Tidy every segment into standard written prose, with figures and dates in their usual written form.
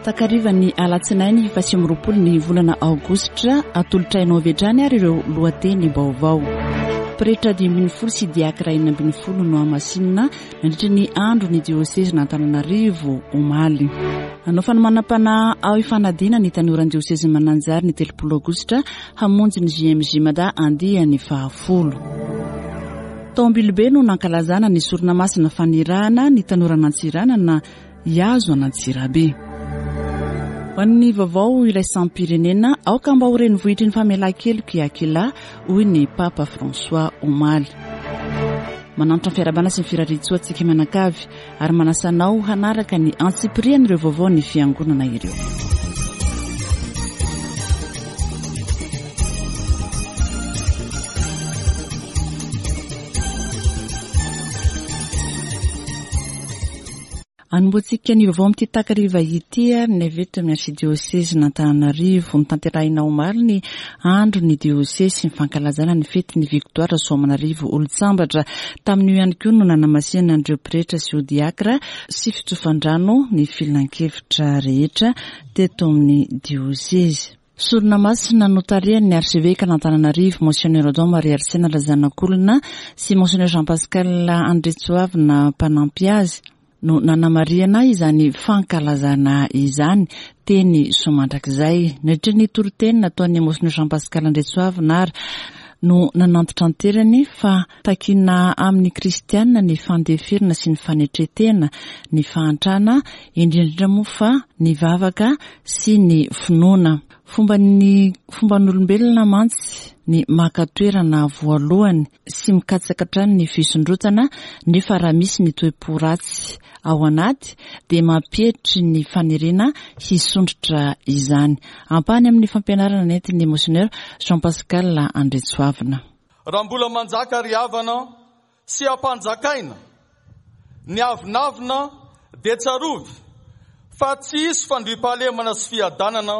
Takarivan'ny alatsinainy faha29 ny volana aogositra, atolotra hainao avy hatrany ary ireo lohateny vaovao. Pretra 15 sy diakra 16 no hamasinina nandritra ny andro ny diosezin'Antananarivo omaly. Hanao fanomanam-panahy ao Ifanadiana ny tanoran'ny diosezin'i Mananjary ny 30 aogositra hamonjy ny JMJ Mada andiany fahafolo. Tao Ambilobe no nankalazana ny sorona masina fanirahana ny tanoran'Antsiranana hihazo an'Antsirabe. Ho an'ny vaovao iraisam-pirenena, aoka mba ho renivohitry ny famelan-keloka i Aquila, hoy ny Papa François omaly. Manantitra ny fiarahabana sy ny firarian-tsoa antsika mianakavy ary manasa anao hanaraka ny antsipirian'ireo vaovaon'ny Fiangonana ireo. Anombohantsika ny vaovao amin'ity takariva ity ary ny avy eto amin'ny Arsidiosezin'Antananarivo. Notanterahina omaly ny andron'ny diosezy ny fankalazana ny fetin'ny Victoire Soamanarivo Olontsambatra. Tamin'io ihany koa no nanamasihana an'ireo pretra sy diakra sy fitsofan-drano ny filankevitra rehetra teto amin'ny diosezy. Sorona masina notarihan'ny Arsevekan'Antananarivo, Monseigneur Odon Marie Arsène Razanakolona sy Monseigneur Jean Pascal Andriantsoavina mpanampy azy no nanamarihana izany fankalazana izany teny Soamandrakizay. Nandritra ny toriteny nataon'ny Monseigneur Jean Pascal Andriantsoavina ary no nanantitranterany fa takiana amin'ny kristiana ny fandeferana sy ny fanetren-tena, ny fahantrana, indrindra indrindra moa fa ny vavaka sy ny finoana. Fomban'ny fomban'olombelona mantsy ny maka toerana voalohany sy mikatsaka hatrany ny fisondrotana nefa raha misy ny toe-po ratsy ao anaty dia mampietry ny faniriana hisondrotra izany. Ampahany amin'ny fampianarana nentin'ny Monseigneur Jean Pascal Andriantsoavina. Raha mbola manjaka ry havana sy ampanjakaina ny avonavona dia tsarovy fa tsy hisy fandriampahalemana sy fiadanana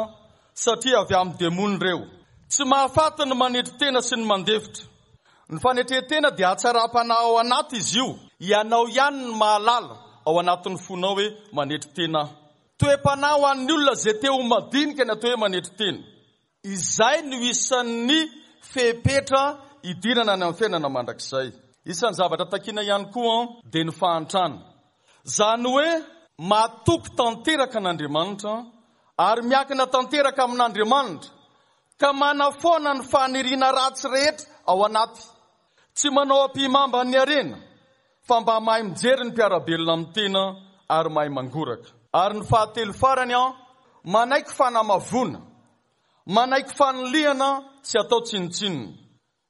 satria avy amin'ny demony ireo. Tsy mahafaty ny manetry tena sy ny mandefitra. Ny fanetren-tena dia hatsaram-panahy ao anaty izy io. Ianao ihany no mahalala ao anatin'ny fonao hoe manetry tena aho. Toe-panahy ho an'ny olona izay te ho madinika ny atao hoe manetry tena. Izay no isan'ny fepetra hidirana any amin'ny fiainana mandrakizay. Isan'ny zavatra takiana ihany koa dia ny fahantrana. Izany hoe matoky tanteraka an'Andriamanitra ary miankina tanteraka amin'Andriamanitra ka manafoana ny faniriana ratsy rehetra ao anaty. Tsy manao ampihimamba ny harena fa mba mahay mijery ny mpiara-belona amin'ny tena ary mahay mangoraka. Ary ny fahatelo farany an, manaiky fanamavoana, manaiky fanilihana sy atao tsinontsinona.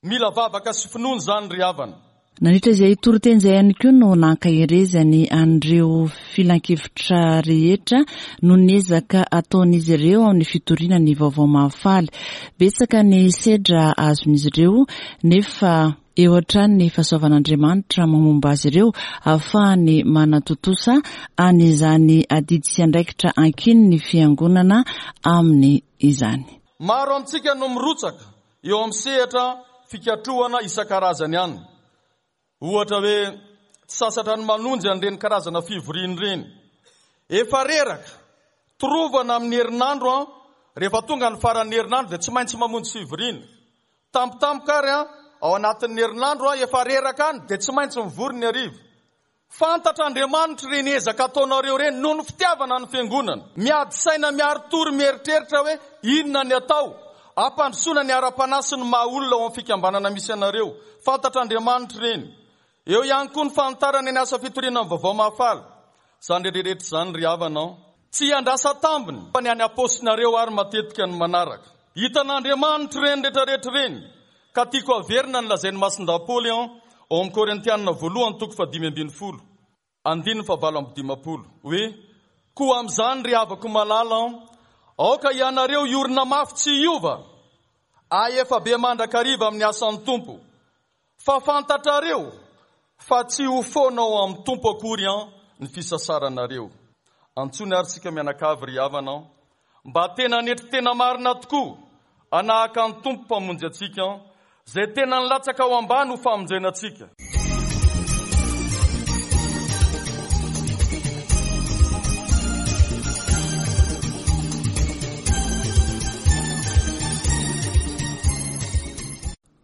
Mila vavaka sy finoana izany ry havana. Nandritra izay toriteny izay ihany koa no nankaherezany an'ireo filankevitra rehetra noho ny ezaka ataon'izy ireo amin'ny fitoriana ny vaovao mahafaly. Betsaka ny sedra azon'izy ireo nefa Eo hatrany ny fahasoavan'Andriamanitra momba azy ireo ahafahany manatontosa an'izany adidy sy andraikitra ankinin'ny Fiangonana aminy izany. Maro amintsika no mirotsaka eo amin'ny sehatra fikatrohana isan-karazany any. Ohatra hoe tsy sasatra ny manonjy an'ireny karazana fivoriana ireny. Efa reraka, torovana amin'ny herinandro an, rehefa tonga ny faran'ny herinandro dia tsy maintsy mamonjy fivoriana. Tampotampoka ary an, ao anatin'ny herinandro an, efa reraka any dia tsy maintsy mivory ny hariva. Fantatr'Andriamanitra ireny ezaka ataonareo ireny noho ny fitiavana ny fiangonana. Miady saina miari-tory mieritreritra hoe inona ny atao hampandrosoana ny ara-panahy sy ny maha-olona ao amin'ny fikambanana misy anareo. Fantatr'Andriamanitra ireny. Eo ihany koa ny fanitarana ny asa fitoriana ny Vaovao Mahafaly. Izany rehetra izany ry havana an. Tsy iandrasan-tambiny fa ny any am-paosinareo ary matetika no manaraka. Hitan'Andriamanitra ireny rehetra rehetra ireny ka tiako haverina ny lazain'i Masindahy Paoly an ao amin'ny Korintianina voalohany toko fahadimy ambinifolo andininy fahavalo amby dimampolo hoe, Koa amin'izany ry havako malala an, aoka ianareo hiorina mafy tsy hiova, ahefa be mandrakariva amin'ny asan'ny Tompo, Fa fantatrareo fa tsy ho foana ao amin'ny Tompo akory an ny fisasaranareo. Antsoiny ary isika mianakavy ry havana an, mba tena hanetry tena marina tokoa hanahaka ny Tompo Mpamonjy antsika an, izay tena nilatsaka ao ambany ho famonjena antsika.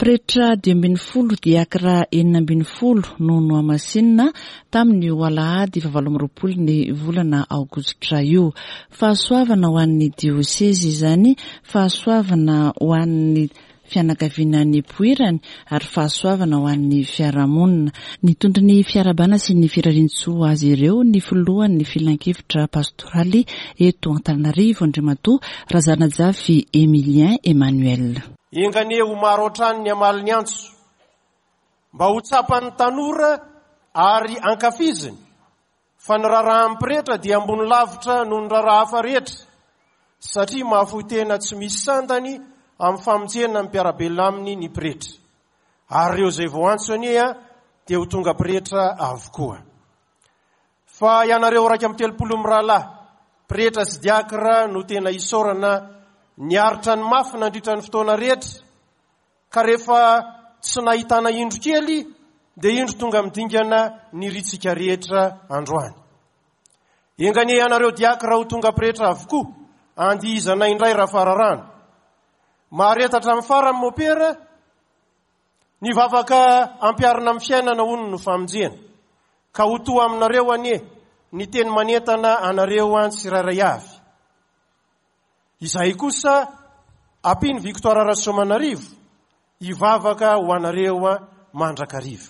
Pretra 15, diakra 16 no nohamasinina tamin'io alahady faha-28 ny volana aogositra io. Fahasoavana ho an'ny diosezy izany, fahasoavana ho an'ny fianakaviana nipoirany ary fahasoavana ho an'ny fiarahamonina. Nitondra ny fiarahabana sy ny firarian-tsoa ho azy ireo ny filohan'ny filankevitra pastoraly eto Antananarivo, Andriamatoa Razanajafy Emilien Emmanuel. Enga anie ho maro hatrany ny hamaly ny antso, mba ho tsapan'ny tanora ary ankafiziny fa ny raharahan'ny pretra dia ambony lavitra noho ny raharaha hafa rehetra, satria mahafoy tena tsy misy sandany amin'ny famonjena ny mpiara-belona aminy ny pretra. Ary ireo izay voantso anie dia ho tonga pretra avokoa. Fa ianareo 31 mirahalahy, pretra sy diakra no tena isaorana niaritra ny mafy nandritra ny fotoana rehetra, Ka rehefa tsy nahitana indro kely dia indro tonga amin'ny dingana nirintsika rehetra androany. Enga anie ianareo diakra ho tonga pretra avokoa, andihizana indray raha fararano. Mahareta hatramin'ny farany mopera, ny vavaka ampiharina amin'ny fiainana hono no famonjena. Ka ho toa aminareo anie ny teny manentana anareo an tsirairay avy. Izahay kosa ampian'i Victoire Rasoamanarivo hivavaka ho anareo mandrakariva.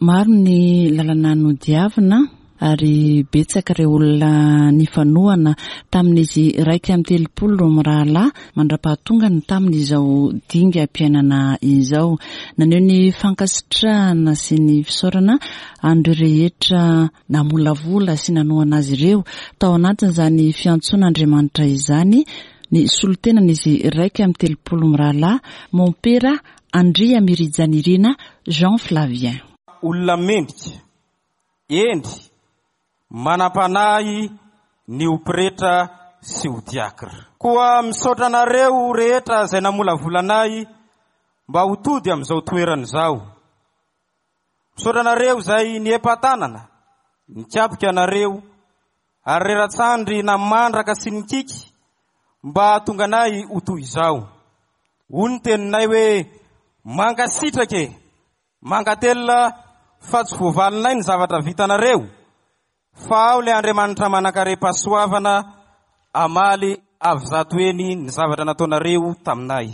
Maro ny lalana nodiavina ary betsaka ireo olona nifanohana tamin'izy 31 mirahalahy mandra-pahatongany tamin'izao dingam-piainana izao. Naneho ny fankasitrahana sy ny fisaorana an'ireo rehetra Namolavola sy nanohana azy ireo tao anatin'izany fiantsoan'Andriamanitra izany ny solontenan'izy 31 mirahalahy, Mompera Andriamirijanirina Jean Flavien. Olona mendrika, hendry, manam-panahy ny ho pretra sy ho diakra. Koa misaotra anareo rehetra izay namolavola anay mba ho tody amin'izao toerana izao. Misaotra anareo izay niepa-tanana, nikapoka anareo, ary rera-tsandry namandraka sy nikiky mba hahatonga anay ho toy izao. Hoy ny teninay hoe, Mankasitraka e! Mankatelina fa tsy voavalinay ny zavatra vitanareo, Fa ao ilay Andriamanitra manankarem-pahasoavana hamaly avy zato heny ny zavatra nataonareo taminay.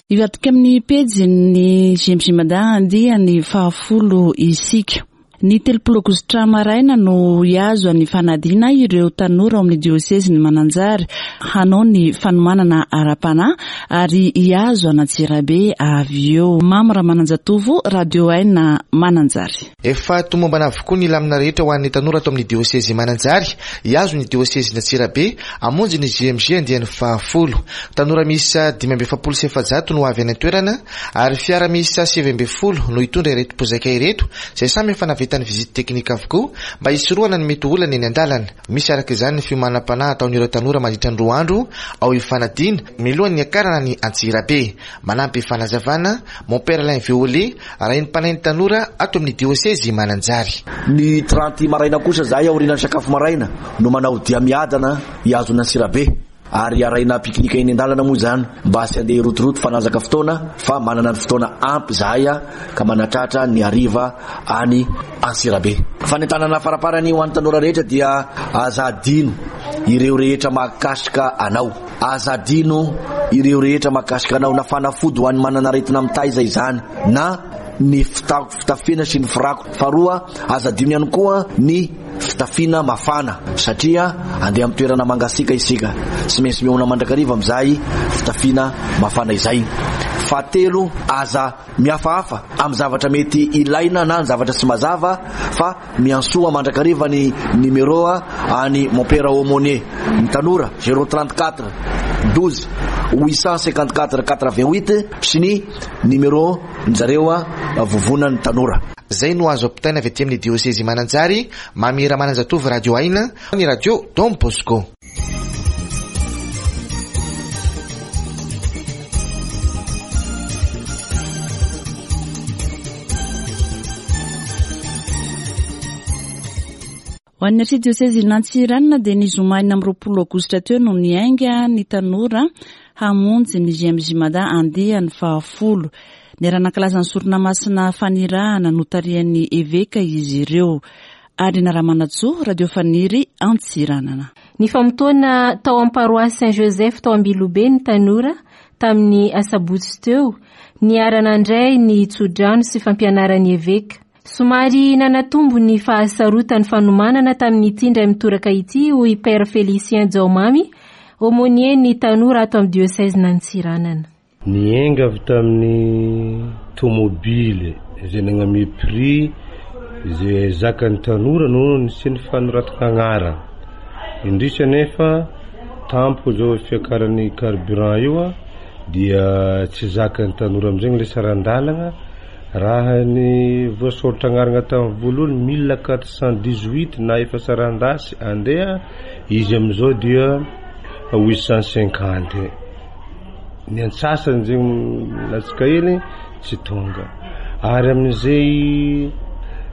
Hivadika amin'ny pejin'ny GMG Mada andiany fahafolo isika. Ny 30 aogositra maraina no hihazo an'i Fanadina ireo tanora ao amin'ny diosezin'i Mananjary hanao ny fanomanana ara-panahy ary hihazo an'Antsirabe avy eo. Mamy Ramananjatovo, Radio Aina Mananjary. Efa tomombana avokoa ny lamina rehetra ho an'ny tanora ato amin'ny diosezy Mananjary hihazo ny diosezin'Antsirabe hamonjy ny JMJ andiany fahafolo. Tanora miisa 445 no avy any an-toerana ary fiara miisa 19 no hitondra ireto mpizaika ireto izay samy efa nahavita ny visite technique avokoa mba hisorohana ny mety ho olana eny an-dalana. Misy araka izany ny fiomanam-panahy ataon'ireo tanora mandritra ny roa andro ao Ifanadiana mialohan'ny niakarana any Antsirabe. Manampy fanazavana, Mon Père Alain Violet, raim-panahin'ny tanora ato amin'ny diosezy Mananjary. Ny 30 maraina kosa izahay aorianan'ny sakafo maraina no manao dia miadana hihazo an'Antsirabe. Ary arahina pique-nique eny an-dalana moa izany mba tsy handeha hirotoroto fanazaka fotoana fa manana ny fotoana ampy izahay ka manatratra ny hariva any Antsirabe. Fanentanana faraparany ho an'ny tanora rehetra dia aza adino ireo rehetra mahakasika anao. Aza adino ireo rehetra mahakasika anao na fanafody ho an'ny manana aretina mitaiza izany na ny fitafiana sy ny firakotra. Faharoa, aza adino ihany koa ny Fitafiana mafana satria andeha amin'ny toerana mangasiaka isika. Tsy maintsy mihaona mandrakariva amin'izay fitafiana mafana izay. Fahatelo, aza mihafahafa amin'ny zavatra mety ilaina na ny zavatra tsy mazava fa miantsoa mandrakariva ny numéro an'i Mompera Aumônier ny tanora, 034 12 854 88 sy ny numéro Zareo a vovonan'ny tanora. Zay no azo ampitaina avy aty amin'ny diosezy Mananjary, Mamy Ramananjatovo Radio Aina, ny Radio Don Bosco. Ho an'ny Arsidiosezin'Antsiranana dia ny zoma 26 aogositra teo no niainga ny tanora hamonjy ny JMJ Mada andiany fahafolo. Niara-nankalaza ny sorona masina fanirahana notarihan'ny eveka izy ireo. Arina Ramanantsoa, Radio Faniry, Antsiranana. Nifamotoana tao amin'ny paroasy Saint Joseph tao Ambilobe ny tanora tamin'ny asabotsy teo, niara-nandray ny tsodrano sy fampianaran'ny eveka. Somary nanatombo ny fahasarotan'ny fanomanana tamin'ity indray mitoraka ity hoy Père Félicien Jaomamy, aumônier ny tanora ato amin'ny diosezin'Antsiranana. Niainga avy tamin'ny tomobily izay nagname prix izay zakan'ny tanora no nisian'ny fanoratana agnarana. Indrisy anefa tampoka izao fiakaran'ny carburant io dia tsy zakan'ny tanora amin'izay ilay saran-dalana. Raha ny voasoratra agnarana tamin'ny voalohany 1418 na efa saran-dasy andeha izy amin'izao dia 850. Ny antsasany zegny latsaka hely tsy tonga. Ary amin'izay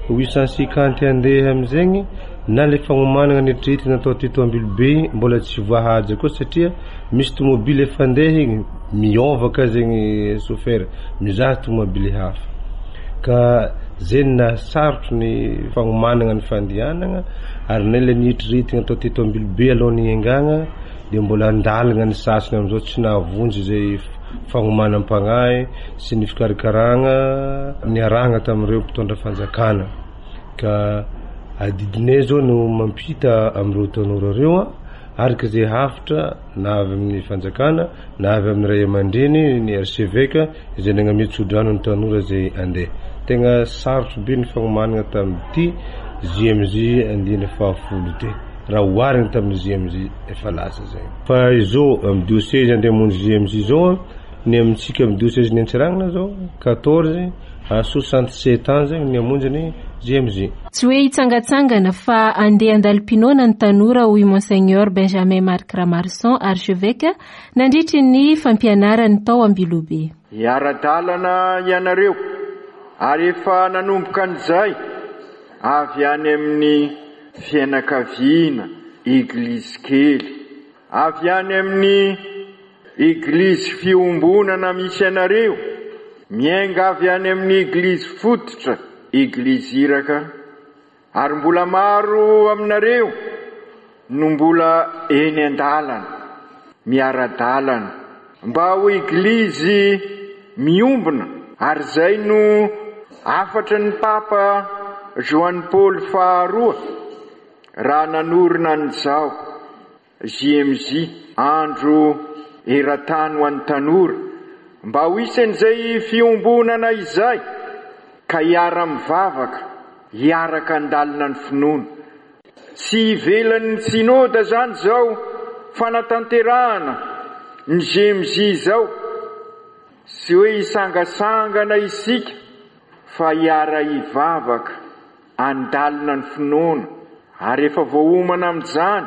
850 andeha amizegny na le fagnomanana neritreretina natao teto Ambilobe mbola tsy voahaja koa satria misy tomobily efa andeha igny miôva ka zegny chauffeur mizaha tomobily hafa. Ka zay no nahasarotro ny fagnomanana ny fandehanana ary na le neritreretina atao teto Ambilobe alohan'ny hiaingagna dia mbola andalana ny sasany amin'izao tsy nahavonjy izay fagnomanam-pagnahy sy ny fikarakaragna niarahagna tamin'ireo mpitondra fanjakana ka adidinay zao no mampita amin'ireo tanora ireo araka izay hafitra na avy amin'ny fanjakana na avy amin'ny ray aman-dreny ny archevêque izay nagname tsodrano ny tanora izay andeha. Tegna sarotro be ny fagnomanana tamin'ity JMJ andiany fahafolo ity raha oharina tamin'ny JMJ efa lasa zay. Fa izao amin'ny diocèse andeha hamonjy JMJ izao ny amintsika amin'ny diocèse ny Antsiranana zao 14 à 67 ans zegny ny hamonjy ny JMJ. Tsy hoe hitsangatsangana fa andeha handalo-pinoana ny tanora hoy Monseigneur Benjamin Marc Ramarison, Archevêque, nandritry ny fampianarany tao Ambilobe. Hiara-dalana ianareo ary efa nanomboka an'izay avy any amin'ny fianakaviana Eglizy kely, avy any amin'ny Eglizy fiombonana misy anareo, miainga avy any amin'ny Eglizy fototra, Eglizy iraka, Ary mbola maro aminareo no mbola eny an-dalana, miara-dalana, mba ho Eglizy miombona, ary izay no hafatry ny Papa Joany Paoly faharoa raha nanorina an'izao. JMJ, Andro eran-tany ho an'ny tanora, mba ho isan'izay fiombonana izay ka hiara-mivavaka, hiaraka handalina ny finoana. Tsy ivelan'ny Synoda izany izao fanatanterahana ny JMJ izao, tsy hoe hisangasangana isika fa hiara-hivavaka. Handalina ny finoana ary efa voaomana amin'izany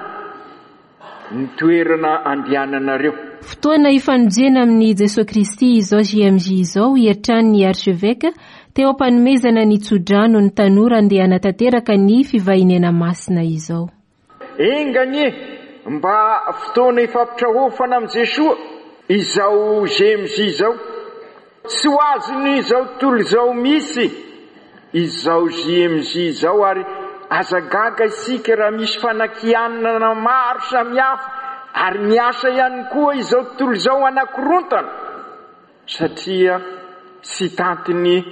ny toerana andehananareo. Fotoana hifanojena amin'i Jesoa Kristy izao JMJ izao hoy hatrany ny Archevêque teo am-panomezana ny tsodrano ny tanora andeha hanatanteraka ny fivahiniana masina izao. Enga anie mba fotoana ifampitrahofana amin'i Jesoa izao GMJ izao. Tsy ho azon'izao tontolo izao misy izao GMJ izao ary aza gaga isika raha misy fanakianana maro samihafa ary miasa ihany koa izao tontolo izao hanakorontana satria tsy tantiny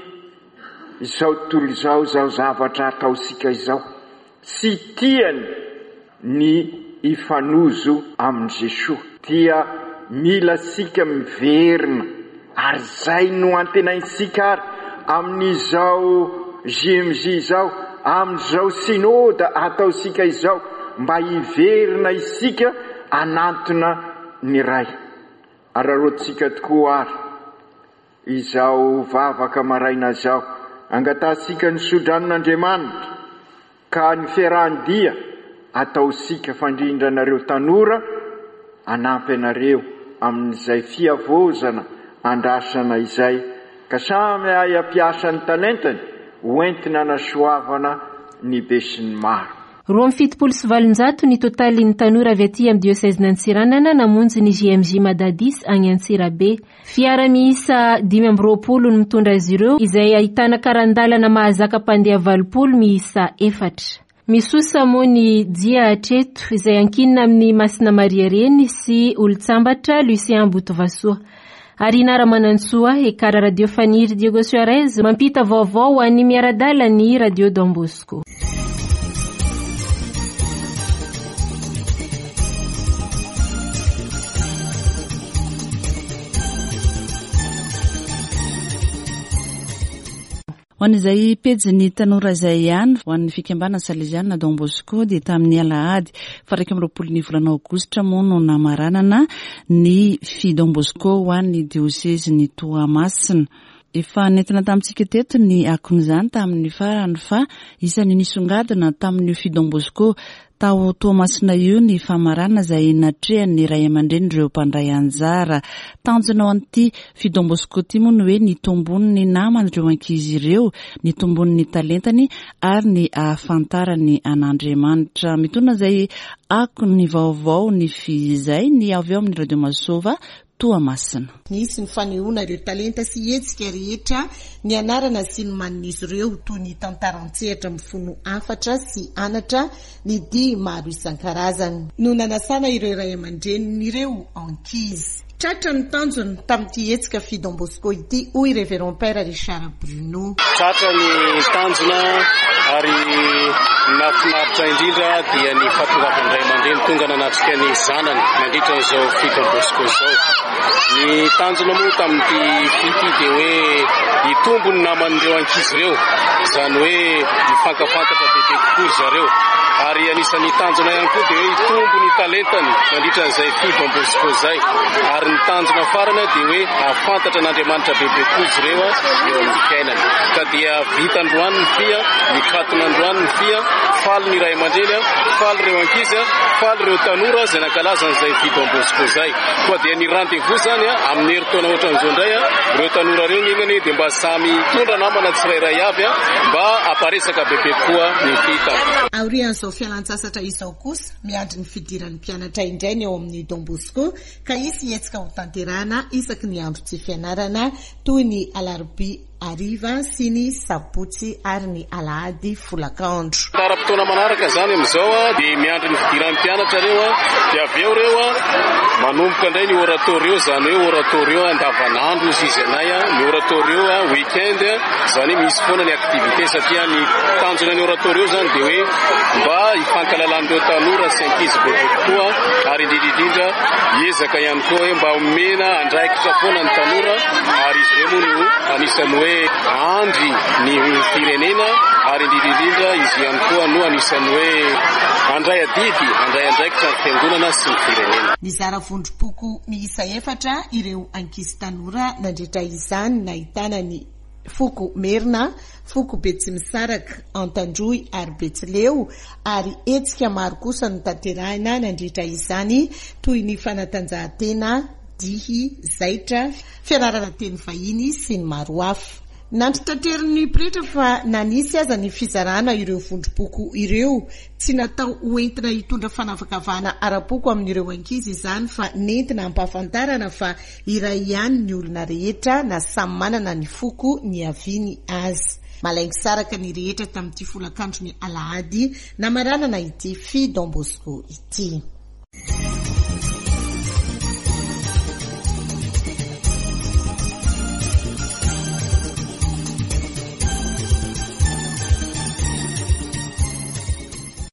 izao tontolo izao izao zavatra ataontsika izao. Tsy tiany ny hifanojo amin'i Jesoa. Dia mila antsika miverina ary izay no antenaintsika ary amin'izao JMJ izao, amin'izao Synoda ataontsika izao mba hiverina isika hanantona ny Ray. Araraotintsika tokoa ary izao vavaka maraina izao, angatahantsika ny sodranon'Andriamanitra ka ny fiarahan-dia ataontsika fandrindra anareo tanora hanampy anareo amin'izay fihavaozana andrasana izay ka samy hahay hampiasa ny talentany ho entina hanasoavana ny besinimaro. 872 ny totalin'ny tanora avy aty amin'ny diosezin'Antsiranana namonjy ny JMJ Madadis any Antsirabe. Fiara miisa 25 no mitondra azy ireo izay ahitana karan-dalana mahazaka mpandeha 80 miisa efatra. Misosa moa ny dia hatreto izay ankinina amin'i Masina Maria Reny sy Olontsambatra Lucien Botovasoa. Arina Ramanantsoa, Ekara Radio Faniry Diego Suarez mampita vaovao ho an'ny miara-dala ny Radio Don Bosco. Ho an'izay pejin'ny tanora izay ihany, ho an'ny fikambanana Salesianina Don Bosco dia tamin'ny alahady faha 21 ny volana aogositra moa no namaranana ny Fi Don Bosco ho an'ny diosezin'i Toamasina. Efa nentina tamintsika teto ny akon'izany tamin'ny farany fa isan'ny nisongadina tamin'io Fi Don Bosco Tao Toamasina io ny famaranana izay natrehan'ny ray aman-drenin'ireo mpandray anjara. Tanjona ho an'ity Fi Don Bosco ity moa ny hoe ny tombon'ny naman'ireo ankizy ireo, ny tombon'ny talentany ary ny ahafantarany an'Andriamanitra. Mitondra izay akon'ny vaovao ny Fi izay ny avy ao amin'ny Radio Masova Toamasina. Nisy ny fanehoana ireo talenta sy hetsika rehetra nianarana sy nomanin'izy ireo toy ny tantara an-tsehatra mifono hafatra sy anatra, ny dihy maro isan-karazany. No nanasana ireo ray aman-drenin'ireo ankizy. Tratra ny tanjona tamin'ity hetsika Fi Don Bosco ity, hoy Révérend Père Richard Bruno. Tratra ny tanjona ary ny nahafinaritra indrindra dia ny fahatongavan'ny ray aman-dreny tonga nanatrika ny zanany nandritra an'izao Fi Don Bosco izao. Ny tanjona moa tamin'ity Fi ity dia hoe hitombo ny naman'ireo ankizy ireo, izany hoe hifankafantatra bebe kokoa ry zareo. Ary anisan'ny tanjona ihany koa dia hoe hitombo ny talentany nandritra an'izay Fi Don Bosco izay. Ary ny tanjona farany dia hoe hahafantatra an'Andriamanitra bebe kokoa izy ireo eo amin'ny fiainany. Ka dia vita androany ny fia, nikatona androany ny fia, faly ny ray aman-dreny, faly ireo ankizy, faly ireo tanora izay nankalaza an'izay Fi Don Bosco izay. Koa dia ny rendez-vous izany amin'ny herintaona ohatran'izao indray, ireo tanora ireo ny enganie dia mba samy hitondra namana tsirairay avy mba hamparesaka bebe kokoa ny fi tampoka. Aorian'izao fialantsasatra izao kosa, miandry ny fidiran'ny mpianatra indray ny ao amin'ny Don Bosco ka hisy hetsika hotanterahana isaky ny andro tsy fianarana toy ny alarobia hariva sy ny sabotsy ary ny alahady folakandro. Ara-potoana manaraka izany amin'izao dia miandry ny fidiran'ny mpianatra ireo dia avy eo ireo manomboka indray ny oratorio, izany hoe oratorio andavanandro hozy izy anay, ny oratorio week-end, izany hoe misy foana ny activité satria ny tanjona ny oratorio izany dia hoe mba hifankalalan'ireo tanora sy ankizy bebe kokoa ary indrindra indrindra hiezaka ihany koa hoe mba omena andraikitra foana ny tanora ary izy ireo moa no anisan'ny hoe andry ny firenena ary indrindra indrindra izy ihany koa no anisan'ny hoe handray adidy, handray andraikitra ny fiangonana sy ny firenena. Nizara vondrom-poko miisa efatra ireo ankizy tanora nandritra izany nahitana ny foko Merina, foko Betsimisaraka, Antandroy ary Betsileo ary hetsika maro kosa notanterahina nandritra izany toy ny fanatanjahantena, dihy, zaitra, fianarana teny vahiny sy ny maro hafa. Nantitranterin'ny pretra fa na nisy aza ny fizarana ireo vondrom-poko ireo, tsy natao ho entina hitondra fanavakavahana ara-poko amin'ireo ankizy izany fa nentina hampahafantarana fa iray ihany ny olona rehetra na samy manana ny foko niaviany aza. Malaingisaraka ny rehetra tamin'ity folakandron'ny alahady namaranana ity Fi Don Bosco ity.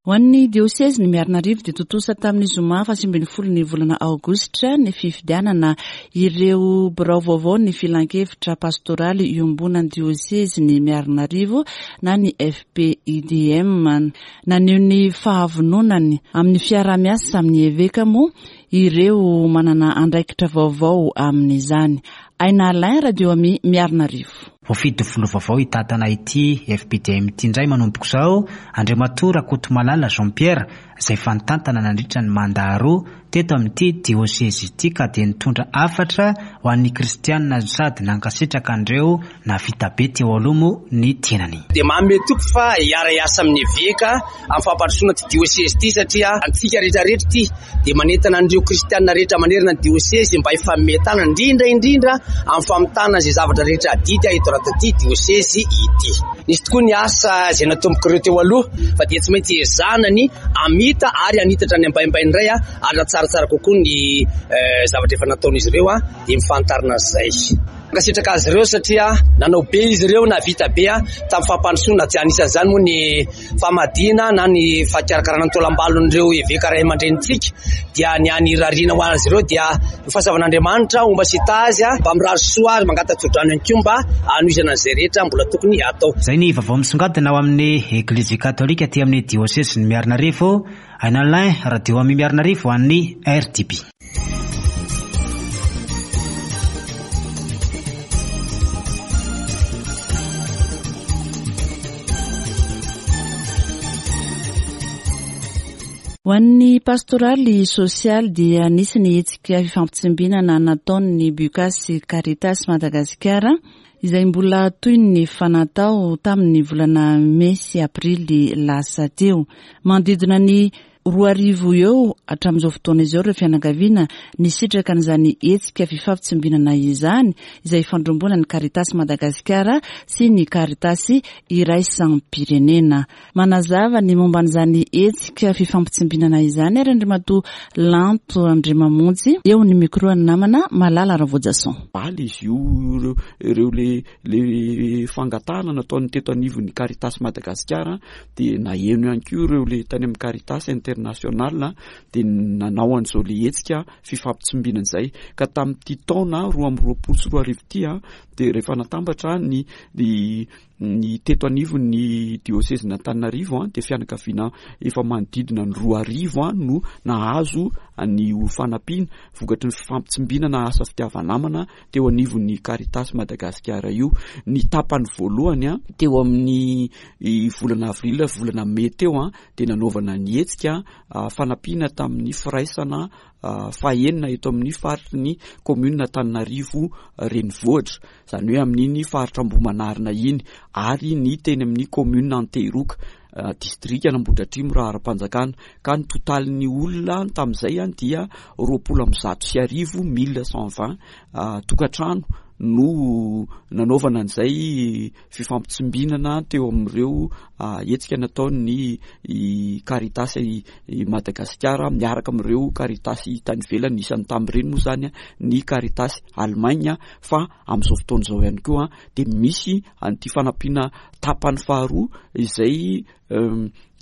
Ho an'ny diosezin'i Miarinarivo dia tontosa tamin'ny zoma faha 19 ny volana aogositra ny fifidianana ireo birao vaovao ny filankevitra pastoraly iombonan'ny diosezin'i Miarinarivo na ny FPIDM. Naneho ny fahavononany amin'ny fiaraha-miasa amin'ny eveka moa ireo manana andraikitra vaovao amin'izany. Aina Alain, Radio Ami, Miarinarivo. Voafidy ho filoha vaovao hitantana ity FPDM ity indray manomboka izao Andriamatoa Rakotomalala Jean Pierre izay efa nitantana nandritra ny mandat roa teto amin'ity diosezy ity ka dia nitondra hafatra ho an'ny kristianina sady nankasitraka an'ireo nahavita be teo aloha moa ny tenany. Dia manome toky fa hiara-hiasa amin'ny eveka amin'ny fampandrosoana ity diosezy ity satria antsika rehetra rehetra ity dia manentana an'ireo kristianina rehetra manerana ny diosezy mba hifanome tanana indrindra indrindra amin'ny famitana izay zavatra rehetra adidy eto anatin'ity diosezy ity. Nisy tokoa ny asa izay natombok'ireo teo aloha fa dia tsy maintsy ezahana ny hamita ary hanitatra ny ambaimbainy indray ary na tsaratsara kokoa ny eh, zavatra efa nataon'izy ireo dia mifantarina an'izay. Mankasitraka azy ireo satria nanao be izy ireo nahavita be tamin'ny fampandrosoana tsy anisan'izany moa ny famadihana na ny fakarakarana ny taolam-balon'ireo eveka ray aman-drenintsika dia ny any irariana ho azy ireo dia ny fahasoavan'Andriamanitra homba sy hitahy azy mba mirary soa ary mangata-tsodrano ihany koa mba hanohizana an'izay rehetra mbola tokony hatao. Izay ny vaovao misongadina ao amin'ny Eglizy Katolika aty amin'ny Diosezin'i Miarinarivo. Aina Alain, Radio Ami Miarinarivo ho an'ny RTB. Ho an'ny pastoraly sosialy dia nisy ny hetsika fifampitsimbinana nataon'ny Bucas sy Caritas Madagasikara izay mbola toy ny efa natao tamin'ny volana mey sy aprily lasa teo. Manodidina ny 2000 eo hatramin'izao fotoana izao ireo fianakaviana nisitraka an'izany hetsika fifampitsimbinana izany, izay ifandrombonan'ny Caritas Madagasikara sy ny Caritas Iraisam-pirenena. Manazava ny momba an'izany hetsika fifampitsimbinana izany ary Andriamatoa Lanto Andriamamonjy eo ny micro an'ny namana Malala Ravojason. Omaly izy io ireo ireo le le fangatahana nataon'ny teto anivon'ny Caritas Madagasikara dia naheno ihany koa ireo le tany amin'ny Caritas International dia nanao an'izao le hetsika fifampitsimbinana izay ka tamin'ity taona 2022 ity dia rehefa natambatra ny ny ny teto anivon'ny diosezin'Antananarivo dia fianakaviana efa manodidina ny 2000 no nahazo ny fanampiana vokatry ny fifampitsimbinana asa fitiava-namana teo anivon'ny Caritas Madagasikara io. Ny tapany voalohany teo amin'ny volana avril volana mey teo dia nanaovana ny hetsika fanampiana tamin'ny firaisana fahenina eto amin'ny faritry ny commune Antananarivo renivohitra, izany hoe amin'iny faritra Ambohimanarina iny ary ny teny amin'ny commune Antehiroka. Distrikan'Ambohidratrimo raha ara-panjakana ka ny totalin'ny olona tamin'izay dia 1120, 1120 tokantrano no nanaovana an'izay fifampitsimbinana teo amin'ireo hetsika nataon'ny Caritas Madagasikara miaraka amin'ireo Caritas tany ivelany, isan'ny tamin'ireny moa izany ny Caritas Allemagne fa amin'izao fotoana izao ihany koa dia misy an'ity fanampiana tapany faharoa izay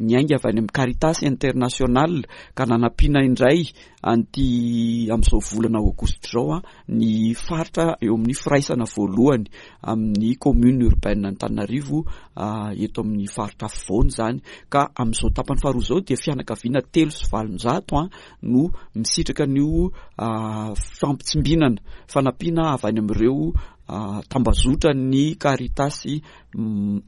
niainga avy any amin'ny Caritas International ka nanampiana indray an'ity amin'izao volana aogositra izao ny faritra eo amin'ny firaisana voalohany amin'ny commune urbaine Antananarivo eto amin'ny faritra afovoany izany ka amin'izao tapany faharoa izao dia fianakaviana 803 no misitraka an'io fampitsimbinana fanampiana avy any amin'ireo tambazotran'ny Caritas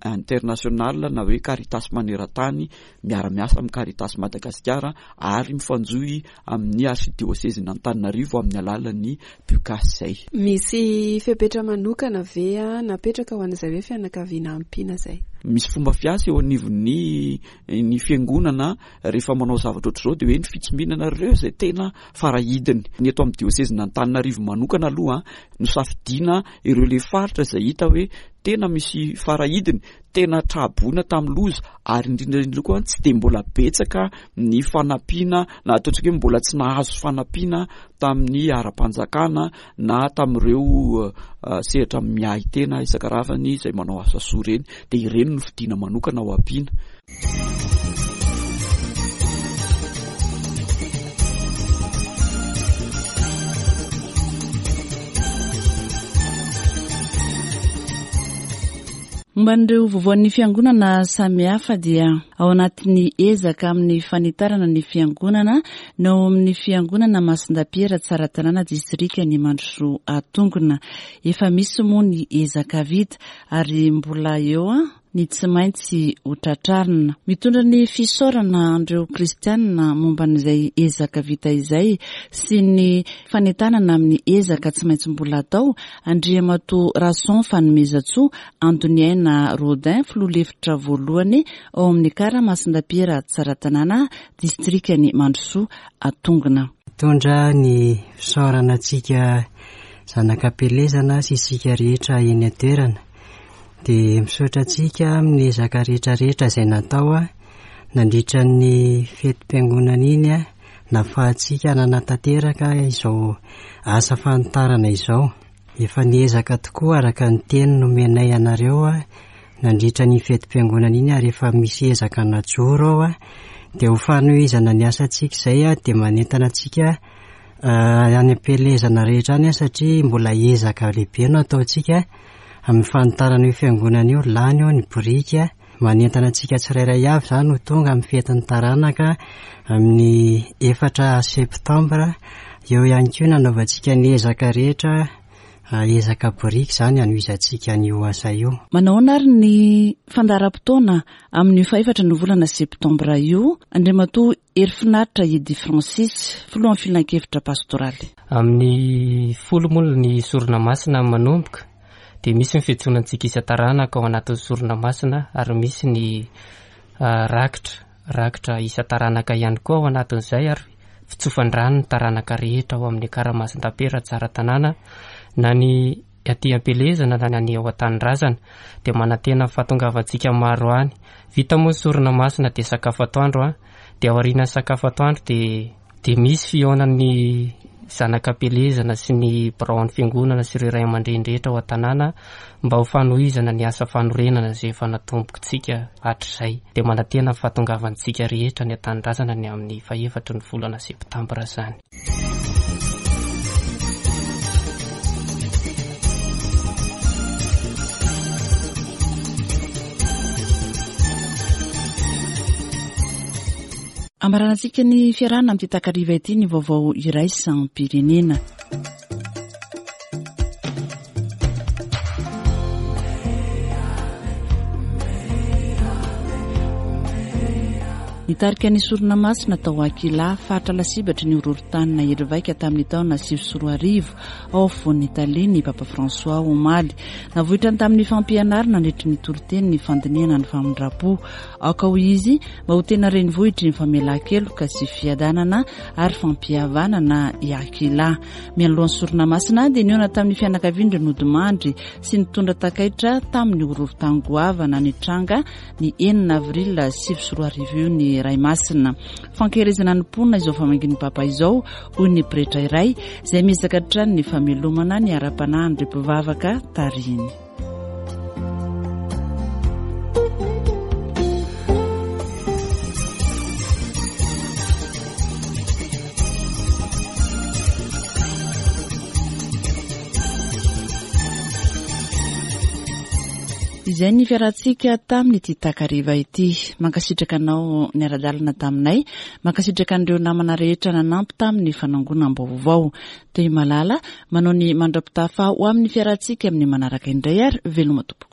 International na hoe Caritas maneran-tany miara-miasa amin'ny Caritas Madagasikara ary mifanjohy amin'ny Archidiosezin'Antananarivo amin'ny alalan'ny Bucas izay. Misy fepetra manokana ve napetraka ho an'izay hoe fianakaviana ampiana izay? Misy fomba fiasa eo anivon'ny ny fiangonana rehefa manao zavatra ohatr'izao dia hoe ny fitsimbinana ireo izay tena farahidiny. Ny eto amin'ny diosezin'Antananarivo manokana aloha nosafidiana ireo le faritra izay hita hoe tena misy farahidiny, tena tra-boina tamin'ny loza ary indrindra indrindra koa tsy dia mbola betsaka ny fanampiana na ataontsika hoe mbola tsy nahazo fanampiana tamin'ny ara-panjakana na tamin'ireo eh, sehatra miahy tena isan-karazany izay manao asa soa ireny dia ireny no fidiana manokana ho ampiana. Momba an'ireo vaovaon'ny fiangonana samihafa dia ao anatin'ny ezaka amin'ny fanitarana ny fiangonana ny ao amin'ny fiangonana Masindapiera Tsaratanàna distrikan'i Mandrosoa Atongona. Efa misy moa ny ezaka vita ary mbola eo ny tsy maintsy ho tratrarina. Mitondra ny fisaorana an'ireo kristianina momba an'izay ezaka vita izay sy ny fanentanana amin'ny ezaka tsy maintsy mbola atao, Andriamatoa Rason Fanomezantsoa Antoniaina Rodin, filoha lefitra voalohany ao amin'ny Ekara Masindapiera Tsaratanàna, distrikan'i Mandrosoa Atongona. Mitondra ny fisaorana antsika zanak'Ampielezana sy isika rehetra eny an-toerana. Dia misaotra antsika amin'ny ezaka rehetra rehetra izay natao nandritra ny fetim-piangonana iny nafahantsika nanatanteraka izao asa fanitarana izao. Efa niezaka tokoa araka ny teny nomenay anareo nandritra ny fetim-piangonana iny ary efa misy ezaka najoro ao dia ho fanohizana ny asantsika izay dia manentana antsika any am-pielezana rehetra any satria mbola ezaka lehibe no ataontsika amin'ny fanitarana io fiangonana io, lany eo ny biriky, manentana antsika tsirairay avy izany ho tonga amin'ny fetin'ny taranaka amin'ny efatra septambra, eo ihany koa ny hanaovantsika ny ezaka rehetra, ezaka biriky izany hanohizantsika an'io asa io. Manahoana ary ny fandaharam-potoana amin'io fahefatra ny volana septambra io, Andriamatoa Herifinaritra Eddy Francis, filohan'ny filankevitra pastoraly. Amin'ny folo moa ny sorona masina manomboka dia misy ny fiantsoana antsika isan-taranaka ao anatin'ny sorona masina ary misy ny rakitra, rakitra isan-taranaka ihany koa ao anatin'izay ary fitsofan-drano ny taranaka rehetra ao amin'ny Karamasin-dapera Tsaratanàna na ny aty am-pielezana na ny ao an-tanindrazana dia manantena ny fahatongavantsika maro any. Vita moa ny sorona masina dia sakafo atoandro an, dia aorianan'ny sakafo atoandro dia dia misy fihaonan'ny zanak'ampielezana sy ny biraon'ny fiangonana sy ireo ray aman-dreny rehetra ao an-tanàna mba ho fanohizana ny asa fanorenana izay efa natombokintsika hatrizay. Dia manantena ny fahatongavantsika rehetra any an-tanindrazana ny amin'ny fahefatry ny volana septambra izany. Amaranantsika ny fiarahana amin'ity takariva ity ny vaovao iraisam-pirenena. Nitarika ny sorona masina tao Aquila, faritra lasibatry ny horohorontany nahery vaika tamin'ny taona 2009 ao afovoan'i Italia ny Papa François omaly. Navoitrany tamin'ny fampianarana nandritry ny toriteny ny fandinihana ny famindram-po. Aoka hoy izy mba ho tena renivohitry ny famelan-keloka sy fiadanana ary fampihavanana i Aquila. Mialoha ny sorona masina dia nihaona tamin'ny fianakavian'ireo nodimandry sy nitondra takaitra tamin'ny horohorontany goavana nitranga ny enina avril 2009 io ny Ray Masina. Fankaherezana ny mponina izao famangian'ny Papa izao, hoy ny pretra iray, izay miezaka hatrany ny famelomana ny ara-panahin'ireo mpivavaka tarihiny. Izay ny fiarahantsika tamin'ity takariva ity. Mankasitraka anao niara-dalana taminay. Mankasitraka an'ireo namana rehetra nanampy tamin'ny fanangonam-baovao. Toy malala, manao ny mandra-pitafa ho amin'ny fiarahantsika amin'ny manaraka indray ary veloma tompoko.